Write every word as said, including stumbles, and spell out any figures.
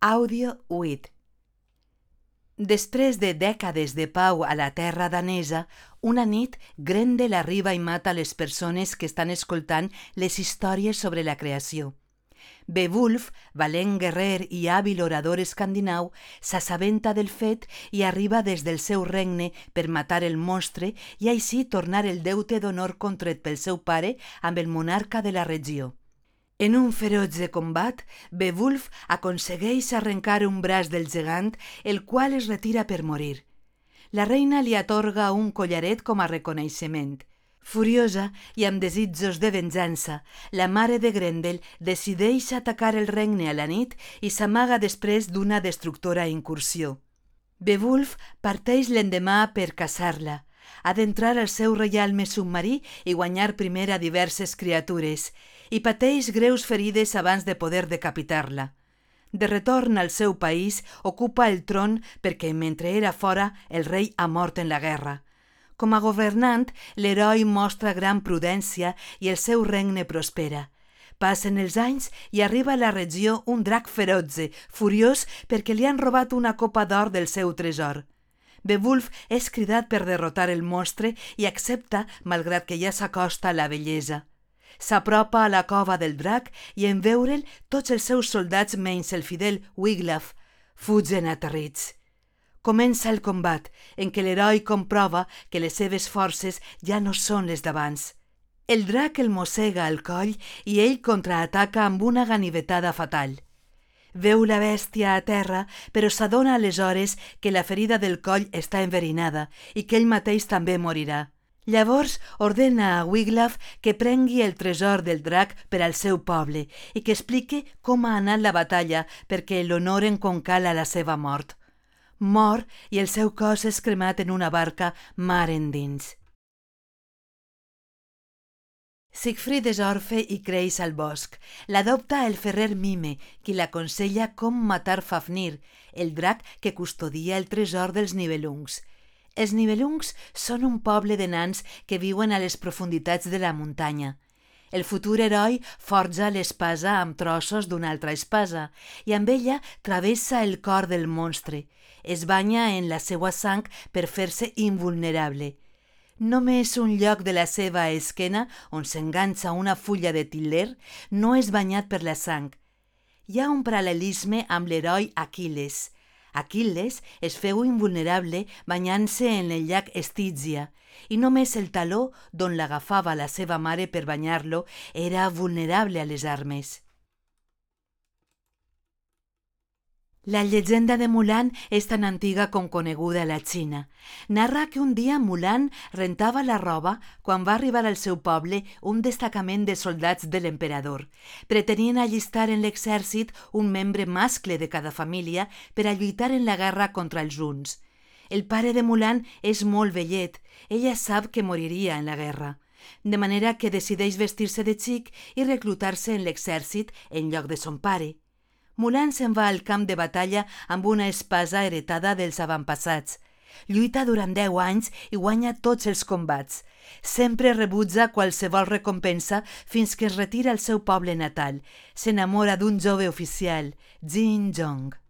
Audio vuit. Després de dècades de pau a la terra danesa, una nit Grendel arriba i mata les persones que estan escoltant les històries sobre la creació. Beowulf, valent guerrer i hàbil orador escandinau, s'assabenta del fet i arriba des del seu regne per matar el monstre i així tornar el deute d'honor contret pel seu pare amb el monarca de la regió. En un ferotge combat, Beowulf aconsegueix arrencar un braç del gegant, el qual es retira per morir. La reina li atorga un collaret com a reconeixement. Furiosa i amb desitjos de venjança, la mare de Grendel decideix atacar el regne a la nit i s'amaga després d'una destructora incursió. Beowulf parteix l'endemà per caçar-la. Ha d'entrar al seu reialme submarí i guanyar primer a diverses criatures, i pateix greus ferides abans de poder decapitar-la. De retorn al seu país, ocupa el tron perquè, mentre era fora, el rei ha mort en la guerra. Com a governant, l'heroi mostra gran prudència i el seu regne prospera. Passen els anys i arriba a la regió un drac ferotge, furiós perquè li han robat una copa d'or del seu tresor. Beowulf és cridat per derrotar el monstre i accepta, malgrat que ja s'acosta a la bellesa. S'apropa a la cova del drac i en veure'l tots els seus soldats menys el fidel Wiglaf fugen aterrits. Comença el combat, en què l'heroi comprova que les seves forces ja no són les d'abans. El drac el mossega al coll i ell contraataca amb una ganivetada fatal. Veu la bèstia a terra, però s'adona aleshores que la ferida del coll està enverinada i que ell mateix també morirà. Llavors ordena a Wiglaf que prengui el tresor del drac per al seu poble i que expliqui com ha anat la batalla perquè l'honoren com cal a la seva mort. Mor i el seu cos és cremat en una barca mar endins. Siegfried és orfe i creix al bosc. L'adopta el ferrer Mime, qui l'aconsella com matar Fafnir, el drac que custodia el tresor dels Nibelungs. Els Nibelungs són un poble de nans que viuen a les profunditats de la muntanya. El futur heroi forja l'espasa amb trossos d'una altra espasa i amb ella travessa el cor del monstre. Es banya en la seva sang per fer-se invulnerable. Només un lloc de la seva esquena, on s'enganxa una fulla de til·ler, no és banyat per la sang. Hi ha un paral·lelisme amb l'heroi Aquil·les. Aquil·les es feu invulnerable banyant-se en el llac Estígia, i només el taló d'on l'agafava la seva mare per banyar-lo era vulnerable a les armes. La llegenda de Mulan és tan antiga com coneguda a la Xina. Narra que un dia Mulan rentava la roba quan va arribar al seu poble un destacament de soldats de l'emperador. Pretenien allistar en l'exèrcit un membre mascle de cada família per a lluitar en la guerra contra els huns. El pare de Mulan és molt vellet. Ella sap que moriria en la guerra, de manera que decideix vestir-se de xic i reclutar-se en l'exèrcit en lloc de son pare. Mulan se'n va al camp de batalla amb una espasa heretada dels avantpassats. Lluita durant deu anys i guanya tots els combats. Sempre rebutja qualsevol recompensa fins que es retira al seu poble natal. S'enamora d'un jove oficial, Jin Jong.